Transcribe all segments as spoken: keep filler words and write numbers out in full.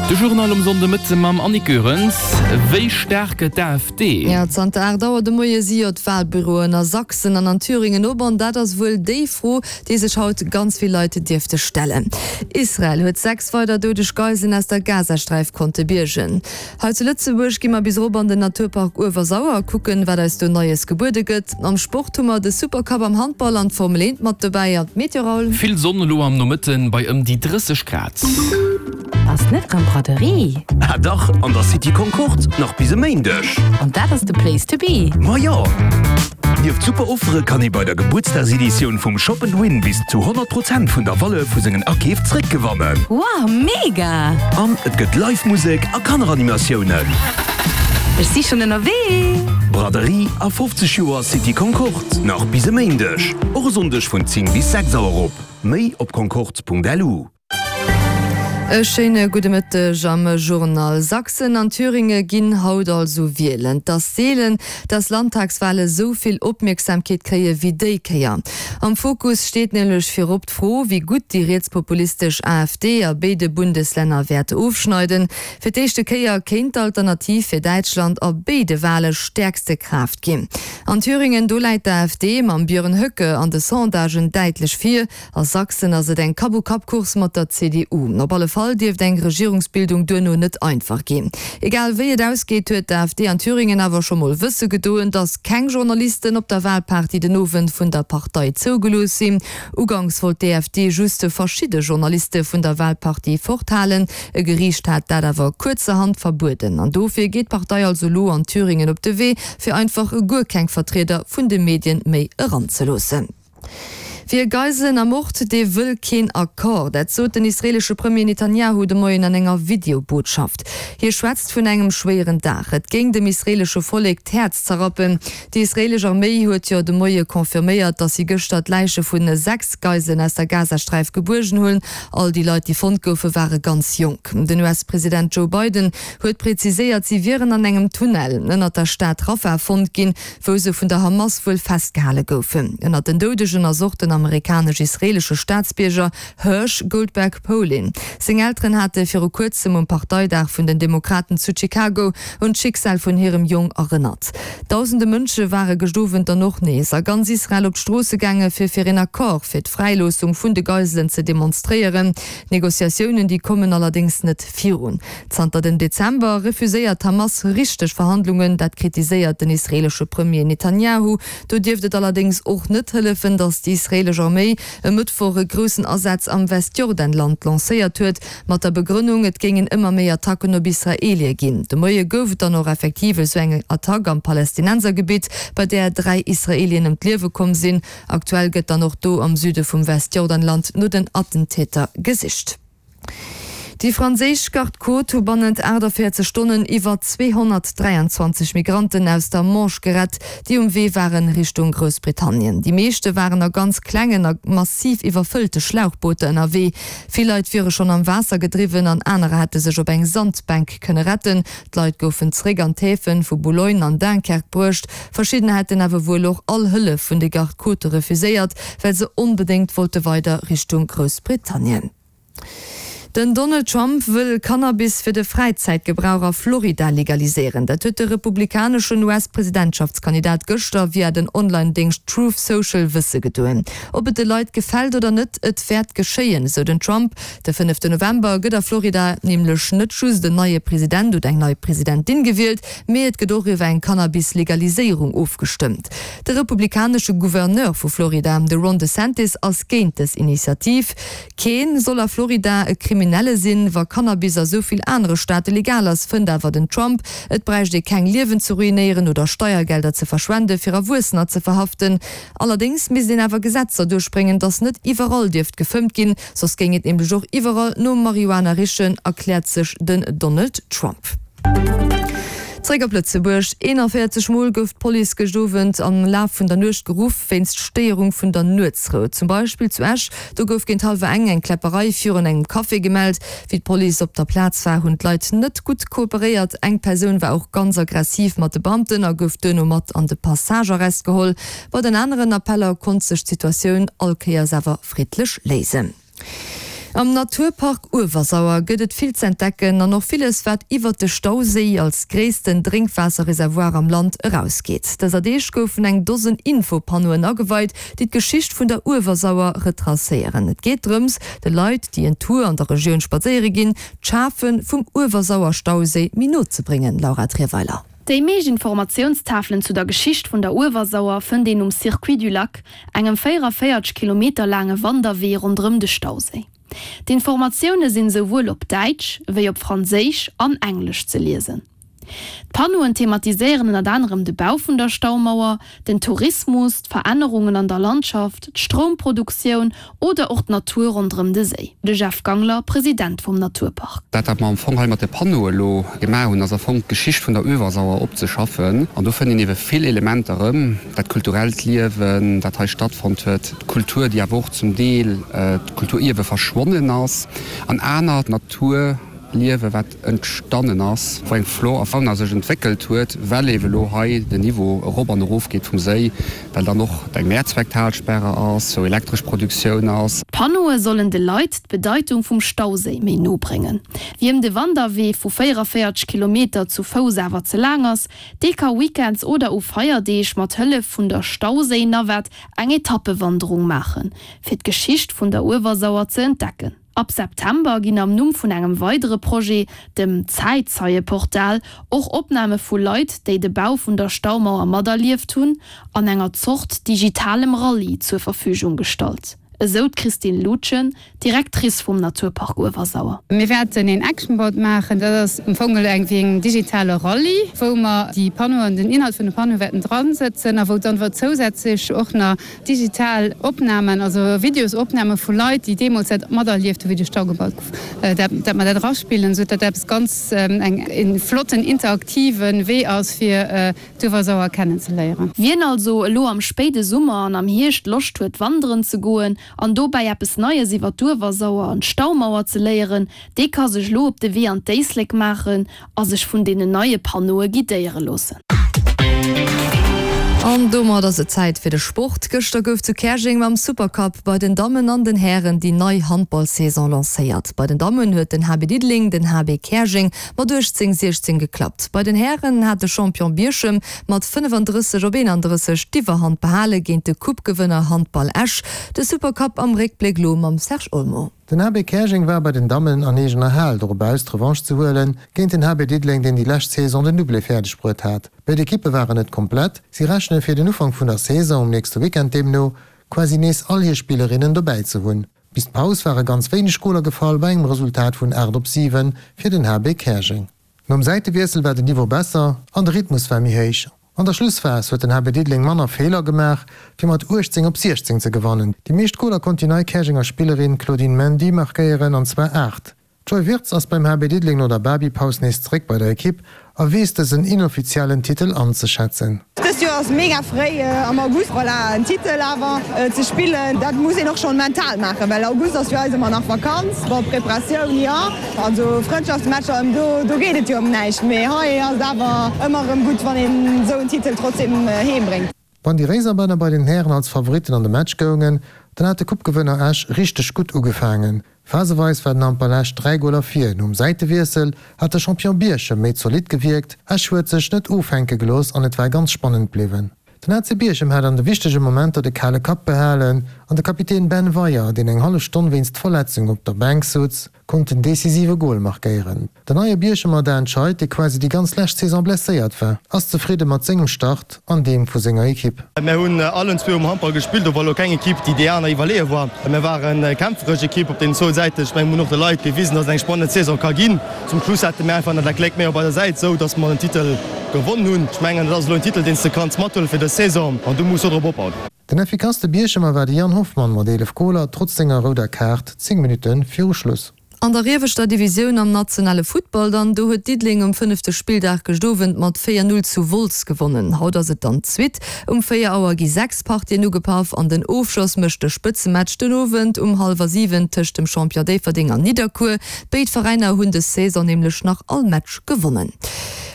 De Journal um Sonndemëtte mam Annick Goerens. Wéi staark gëtt d'AfD? Jo, zanter aacht Auer de Moie si jo d'Walbüroen a Sachsen an an Thüringen op an dat ass wuel déi Fro, déi sech haut ganz vill Leit dierfte stellen. Israel huet sechs weider doudeg Geiselen aus der Gazasträif konnte biergen. Hei zu Lëtzebuerg gi mer bis erop an den Naturpark Uewersauer a kucken, wat eis do Neies gebuede gëtt. Am Sport hu mer de Supercup am Handball an d'Formel eent mat dobäi. An d'Meteo, Raoul? Vill Sonn elo am Nomëtten bei ëm déi drësseg Grad. Ass net rëm Braderie? Ah dach, an der City Concorde, nach bis e Méindeg. An dat ass de Place to be. Ma jo! Nieft super Offere kann ee bei der Gebuertsdagseditioun vum Shop and Win bis zu honnert Prozent vun der Valeur vu sengen Akeef zréckgewannen. Wow, mega! An et gëtt live Musek a Kanneranimatiounen. Ech si schonn ënnerwee! Braderie a fofzeg Joer City Concorde, nach bis e Méindeg. Och e Sonndeg vun zéng bis sechs Auer op. Méi op concorde.lu. E schéine gudde Mëtteg am Journal. Sachsen an Thüringe ginn haut also wielen. Et ass seelen, dass Landtagswale sou vill Opmierksamkeet kréie wéi déi Kéier. Am Fokus steet nämlech virop d'Fro, wéi gutt déi rietspopulistesch AfD a béide Bundeslänner wäert ofschneiden. Fir d'éischte Kéier kéint d'Alternativ fir Däitschland a béide Wale stäerkste Kraaft ginn. An Thüringen, do läit d'AfD mam Björn Höcke an de Sondagen däitlech vir. A Sachsen ass et eng Kapp-u-Kapp-Course mat der C D U. Op alle Fall dierft eng Regierungsbildung duerno net einfach ginn. Egal wéi et ausgeet, huet d'AfD an Thüringen awer scho mol wësse gedoen, datt keng Journalisten op der Walparty den Owend vun der Partei zougelooss sinn. Uganks wollt d'AfD just verschidde Journaliste vun der Walparty forthalen, e Geriicht hat dat awer kuerzerhand verbueden. An dofir geet d'Partei also elo an Thüringen op de Wee, fir einfach guer keng Vertrieder vun de Medien méi eranzeloossen. Wie Geiselen ermort, dee wëll keen Accord. Dat sot den israeelesche Premier Netanjahu de Moien an enger Videobotschaft. Hie schwätzt vun engem schwéieren Dag. Et géing dem israeelesche Vollek d'Häerz zerrappen. Déi israeelesch Arméi huet jo de Moie confirméiert, datt si gëschter d'Läiche vu sechs Geiselen aus der Gazasträif gebuergen hunn. All déi Leit, déi fonnt goufen, ware ganz jonk. Den U S-President Joe Biden huet preziséiert, si wieren an engem Tunnel ënnert der Stad Rafah fonnt ginn, wou se vun der Hamas wuel festgehale goufen. Ënnert den Doudegen ass och den amerikanesch-israeelesche Staatsbierger Hersh Goldberg Polin. Seng Elteren hate viru kuerzem um Parteidag vun den Demokraten zu Chicago un d'Schicksal vun hirem Jong erënnert. Dausende Mënsche ware gëscht Owend dann och nees a ganz Israel op d'Stroosse gaange fir fir een Accord fir d'Fräiloossung vun de Geiselen ze demonstréieren. D'Negociatiounen déi kommen allerdéngs net virun. Zanter dem Dezember refuséiert d'Hamas richteg Verhandlungen, dat kritiséiert den israeelesche Premier Netanjahu. Do dierft et allerdéngs och net hëllefen, datt déi israeelesch Arméi e Mëttwoch e groussen Asaz am Westjordanland lancéiert huet, mat der Begrënnung, et géingen ëmmer méi Attacken op Israeelie ginn. De Moie gouf et dann och effektiv esou eng Attack am Palästinensergebitt, bei där dräi Israeelien ëm d'Liewe komm sinn. Aktuell gëtt dann och do am Süde vum Westjordanland no den Attentäter gesicht. Déi franséisch Garde-côtes hu bannent aachtavéierzeg Stonnen iwwer zweehonnertdräianzwanzeg Migranten aus der Manche gerett, déi um Wee waren Richtung Groussbritannien. Déi meeschte waren a ganz klengen a massiv iwwerfëllte Schlauchbooter ënnerwee. Vill Leit wiere schonn am Waasser gedriwwen an anerer hätte sech op eng Sandbänk kënne retten. D'Leit goufen zeréck an d'Häfe vu Boulogne an Dunkerque bruecht. Verschiddener hätten awer wuel och all Hëllef vun de Garde-côtes refuséiert, well se onbedéngt wollte weider Richtung Groussbritannien. Den Donald Trump wëll Cannabis fir de Fräizäitgebrauch a Florida legaliséieren. Dat huet de republikaneschen U S-Presidentschaftskandidat gëschter via den Online-Déngscht Truth Social wësse gedoen. Ob et de Leit gefält oder net, et wäert geschéien, sou den Trump. De fënneften November gëtt a Florida nämlech net just en neie President oder eng nei Presidentin gewielt, mee et gëtt och iwwer eng Cannabis-Legaliséierung ofgestëmmt. De republikanesche Gouverneur vu Florida, de Ron DeSantis, ass géint dës Initiativ. Keen soll a Florida e Kriminelle sinn, wa Cannabis a sou vill anere Staate legal ass, fënnt awer den Trump. Et bräicht ee keng Liewen ze ruinéieren oder Steiergelder ze verschwende fir Erwuessener ze verhaften. Allerdéngs misst een awer Gesetzer duerchbréngen, datt net iwwerall dierft gefëmmt ginn, soss géing et nämlech och iwwerall no Marihuana richen, erkläert sech den Donald Trump. Zréck op Lëtzebuerg, eenanvéierzeg Mol gouf d'Police gëscht Owend am Laf vun der Nuecht geruff wéinst Stéierung vun der Nuetsrou. Zum Beispill zu Esch, do gouf géint hallwer eng eng Kläpperei virun engem Café gemellt. Wéi d'Police op der Plaz war, hunn d'Leit net gutt kooperéiert. Eng Persoun war och ganz aggressiv mat de Beamten a gouf duerno mat an de Passagearrest geholl. Bei den aneren Appeller konnt sech d'Situatioun all Kéiers awer friddlech léisen. Am Naturpark Uewersauer gëtt et vill z'entdecken an och villes wat iwwer de Stauséi als gréissten Drénkwaasserreservoir am Land erausgeet. Dëser Deeg goufen eng Dosen Infopannoen ageweit, déi d'Geschicht vun der Uewersauer retracéieren. Et geet drëms, de Leit, déi en Tour an der Regioun spadséiere ginn, d'Schafe vum Uewersauer-Stauséi méi no ze bréngen. Laura Trierweiler. Déi meescht Informatiounstafelen zu der Geschicht vun der Uewersauer fënnt een um Circuit du Lac, engem véierevéierzeg Kilometer laange Wanderwee ronderëm de Stauséi. D'Informatioune sinn esouwuel op Däitsch wéi op Franséisch an Englesch ze liesen. D'Pannoen thematiséieren ënnert anerem de Bau vun der Staumauer, den Tourismus, d'Verännerungen an der Landschaft, d'Stroumproduktioun oder och d'Natur ronderëm de Séi. De Jeff Gangler, President vum Naturpark. Dat wat mer am Fong hei mat de Pannoe elo gemaach hunn, ass am Fong d'Geschicht vun der Uewersauer opzeschaffen. An do fënnt een ebe vill Elementer erëm, dat kulturellt Liewen, dat hei stattfonnt huet, d'Kultur, déi awer och zum Deel d'Kulturierwe verschwonnen ass, an aner Natur. Liewe wat entstannen ass, wou eng Flor a Fauna sech entwéckelt huet, well ewe lo hei den Niveau erop an erof geet vum Séi, well dann och eng Mehrzwecktalsperre ass, wou elektresch Produktioun ass. D'Pannoe sollen de Leit d'Bedeitung vum Stauséi méi no bréngen. Wiem de Wanderwee vu véierevéierzeg Kilometer zu Fouss awer ze laang ass, dee ka weekends oder u Feierdeeg mat Hëllef vun der Stauséi-Navette eng Etappewanderung maachen, fir d'Geschicht vun der Uewersauer ze entdecken. Ab September ginn am Numm vun engem weidere Projet, dem Zäitzeieportal, och Opname vu Leit, déi de Bau vun der Staumauer materlieft hunn, an enger Zort digitalem Rallye zur Verfügung gestallt, esou d'Christine Lutgen, Directrice vum Naturpark Uewersauer. Mir wäerten een Actionboard maachen, dat ass am Fong eng wéi en digitale Rallye, wou mer déi Panneauen, den Inhalt vun de Panneaue wäerten dransëtzen a wou dann awer zousätzlech och nach digital Opnamen, also Videosopname vu Leit, déi deemools dat materlieft hu wéi de Stau gebaut gouf, dat dat mer dat eraspillen, esou datt dat eppes ganz eng e flotten interaktive Wee ass fir d'Uewersauer kennenzeléieren. Wien also elo am spéide Summer an am Hierscht Loscht huet wanderen ze goen an dobäi eppes Neies iwwer d'Uewersauer an d'Staumauer ze léieren, dee ka sech elo op de Wee an d'Éislek maachen a sech vun deenen neie Panneaue guidéiere loossen. An domat ass et Zäit fir de Sport. Gëschter gouf zu Käerjeng mam Supercup bei den Dammen an den Hären déi nei Handballsaison lancéiert. Bei den Dammen huet den H B Diddeleng den H B Käerjeng mat uechtzéng siechzéng geklappt. Bei den Hären hat de Champion Bierchem mat fënnefandrësseg op eenandrësseg d'Iwwerhand behale géint de Coupe-Gewënner Handball Esch. De Supercup am Réckbléck lo mam Serge Olmo. Den H B Käerjeng war bei den Dammen an eegener Hal dorop aus, d'Revanche ze huelen géint den H B Diddeleng, deen déi lescht Saison den Doublé fäerdeg bruet hat. Béid Ekippe waren net komplett, si rechne fir den Ufank vun der Saison um nächste Weekend deemno quasi nees all hir Spillerinnen dobäi ze hunn. Bis d'Paus ware ganz wéineg Goler gefall bei engem Resultat vun aacht op siwen fir den H B Käerjeng. Nom Säitewiessel war den Niveau besser an de Rhythmus war méi héich. An der Schlussphas huet den H B Diddeleng manner Feeler gemaach, fir mat uechtzéng op siechzéng ze gewannen. Déi meescht Goler konnt déi nei Käerjenger Spillerin Claudine Mendy markéieren, an zwar aacht. D'Joy Wirtz ass beim H B Diddeleng no der Babypaus nees zeréck bei der Ekipp a weess dësen inoffiziellen Titel anzeschätzen. Dëst Joer ass mega fréi am August, voilà, en Titel awer ze spillen, dat muss een och schonn mental maachen, well August ass fir eis ëmmer nach Vakanz. Bon, Preparatioun jo, also Frëndschaftsmatcher, ëm do, do geet et jo ëm näischt, mee hei ass et awer ëmmer erëm gutt, wann een esou en Titel trotzdem heem bréngt. Wann déi Réiserbänner bei den Hären als Favoritten an de Match goungen, dann hat de Coupe-Gewënner Esch richteg gutt ugefaangen. Phaseweis war den Handball Esch dräi Goler vir. Nom Säitewiessel hat de Champion Bierchem méi zolidd gewierkt. Esch huet sech net ofhänke gelooss an et war ganz spannend bliwwen. Den H C Bierchem hat an de wichtege Momenter de kale Kapp behalen an de Kapitän Ben Weyer, deen eng hallef Stonn wéinst Verletzung op der Bänk souz, konnt den decisive Gol markéieren. Den neie Bierchemer Dan Scheid, dee quasi déi ganz lescht Saison blesséiert war, ass zefridde mat sengem Start an deem vu senger Ekipp. Mir hunn allen zwee um Handball gespillt, do war elo keng Ekipp, déi déi aner iwwerleeë war. Mir waren eng kämpferesch Ekipp op deenen zwou Säiten. Ech mengen, mir hunn och de Leit gewisen, datt et eng spannend Saison ka ginn. Zum Schluss hate mir einfach nach dat Gléck méi op eiser Säit, esou datt mer den Titel gewonn hunn. Ech mengen, dat ass elo en Titel, deen s de kanns mathuele fir dës Saison an du muss dodrop opbauen. Den effikasste Bierchemer war de Yann Hoffmann mat eelef Goler, trotz senger rouder Kaart zéng Minutte viru Schluss. An der ieweschter Divisioun am nationale Futtball dann, do huet Diddeleng um fënnefte Spilldag gëscht Owend mat véier Null zu Wolz gewonnen. Haut ass et dann d'Suite. Um véier Auer gi sechs Partien ugepaff an den Ofschloss mécht de Spëtzematch den Owend um hallwer siwen tëscht dem Champion Déifferdeng an Nidderkuer. Béid Veräiner hunn dës Saison nämlech nach all Match gewonnen.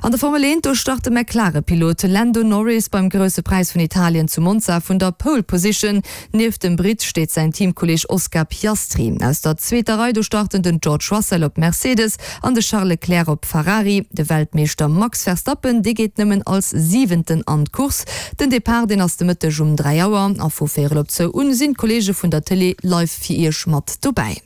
An der Formel eent, do start de McLaren-Pilot Lando Norris beim Grousse Präis vun Italien zu Monza vun der Pole Position. Nieft dem Britt steet säin Teamkolleeg Oscar Piastri. Aus der zweeter Rei, do starten den George Russell op Mercedes an de Charles Leclerc op Ferrari. De Weltmeeschter Max Verstappen, dee geet nëmmen als Siwenten an d'Course. Den Depart, deen ass de Mëtteg um dräi Auer a vu véierel op zwou un sinn d'Kolleege vun der Tëlee live fir Iech mat dobäi.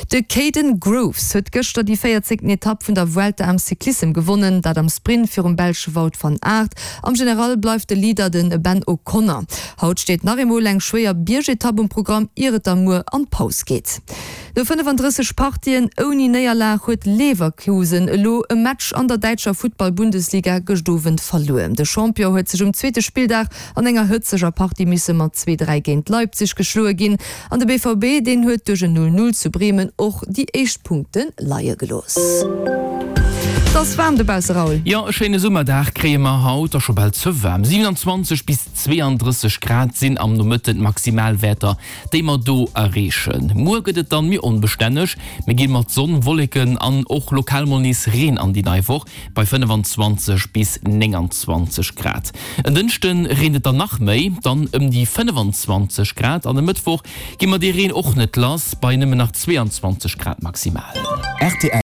De Kaden Groves huet gëschter déi véierzéngten Etapp vun der Vuelta am Cyclissem gewonnen, dat am Sprint virum Belsche Wout van Aert. Am General bleift de Leader de Ben O'Connor. Haut steet nach eemol eng schwéier Biergetapp um Programm, ier et da muer an d'Paus geet. No fënnefandrësseg Partien ouni Néierlag huet Leverkusen elo e Match an der däitscher Futtball-Bundesliga gëscht Owend verluer. De Champion huet sech um zweete Spilldag an enger hëtzeger Partie misse mat zwee, dräi géint Leipzig geschloe ginn. An de B V B, deen huet duerch en null null zu Bremen och déi éischt Punkte leie gelooss. Et ass waarm dobausse, Raoul. Jo, e schéine Summerdag kréie mer haut, a scho bal ze waarm. siewenundzwanzeg bis zweeandrësseg Grad sinn am Nomëtten d'Maximalwäerter, déi mer do erreechen. Muer gëtt et dann méi onbestänneg, mir gi mat Sonn, Wolleken an och lokal mol nees Reen an déi nei Woch bei fënnefan-zwanzeg bis nénganzwanzeg Grad. En Dënschde reent et dann nach méi, dann ëm déi fënnefan-zwanzeg Grad, an e Mëttwoch gi mer dee Reen och net lass bei nëmmen nach zweeanzwanzeg Grad maximal. Rtl.